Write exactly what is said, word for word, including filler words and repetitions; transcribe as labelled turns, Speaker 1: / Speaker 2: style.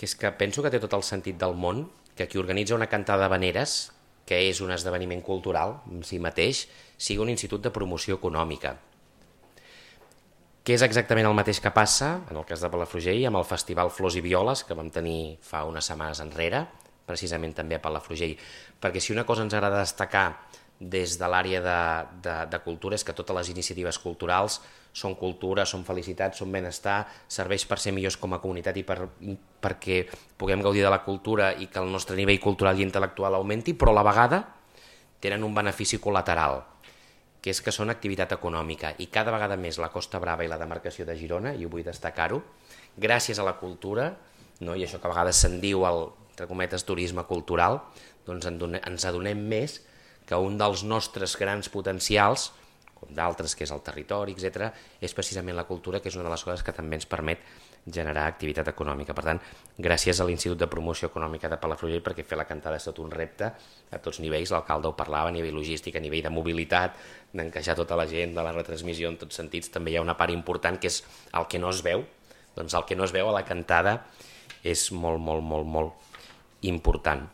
Speaker 1: que és que penso que té tot el sentit del món que qui organitza una cantada d'havaneres, que és un esdeveniment cultural en si mateix, sigui un institut de promoció econòmica. Que és exactament el mateix que passa, en el cas de Palafrugell, amb el Festival Flors i Violes, que vam tenir fa unes setmanes enrere, precisament també a Palafrugell. Perquè si una cosa ens agrada destacar des de l'àrea de, de, de cultura és que totes les iniciatives culturals són cultura, són felicitat, són benestar, serveix per ser millors com a comunitat i per, perquè puguem gaudir de la cultura i que el nostre nivell cultural i intel·lectual augmenti, però a la vegada tenen un benefici col·lateral, que és que són activitat econòmica, i cada vegada més la Costa Brava i la demarcació de Girona, i ho vull destacar-ho, gràcies a la cultura, no? I això que a vegades se'n diu el, entre cometes, turisme cultural, doncs ens adonem més que un dels nostres grans potencials, com d'altres, que és el territori, etcètera, és precisament la cultura, que és una de les coses que també ens permet generar activitat econòmica. Per tant, gràcies a l'Institut de Promoció Econòmica de Palafrugell, perquè fer la cantada és tot un repte a tots nivells, l'alcalde ho parlava, a nivell logístic, a nivell de mobilitat, d'encaixar tota la gent, de la retransmissió en tots sentits. També hi ha una part important que és el que no es veu, doncs el que no es veu a la cantada és molt, molt, molt, molt important.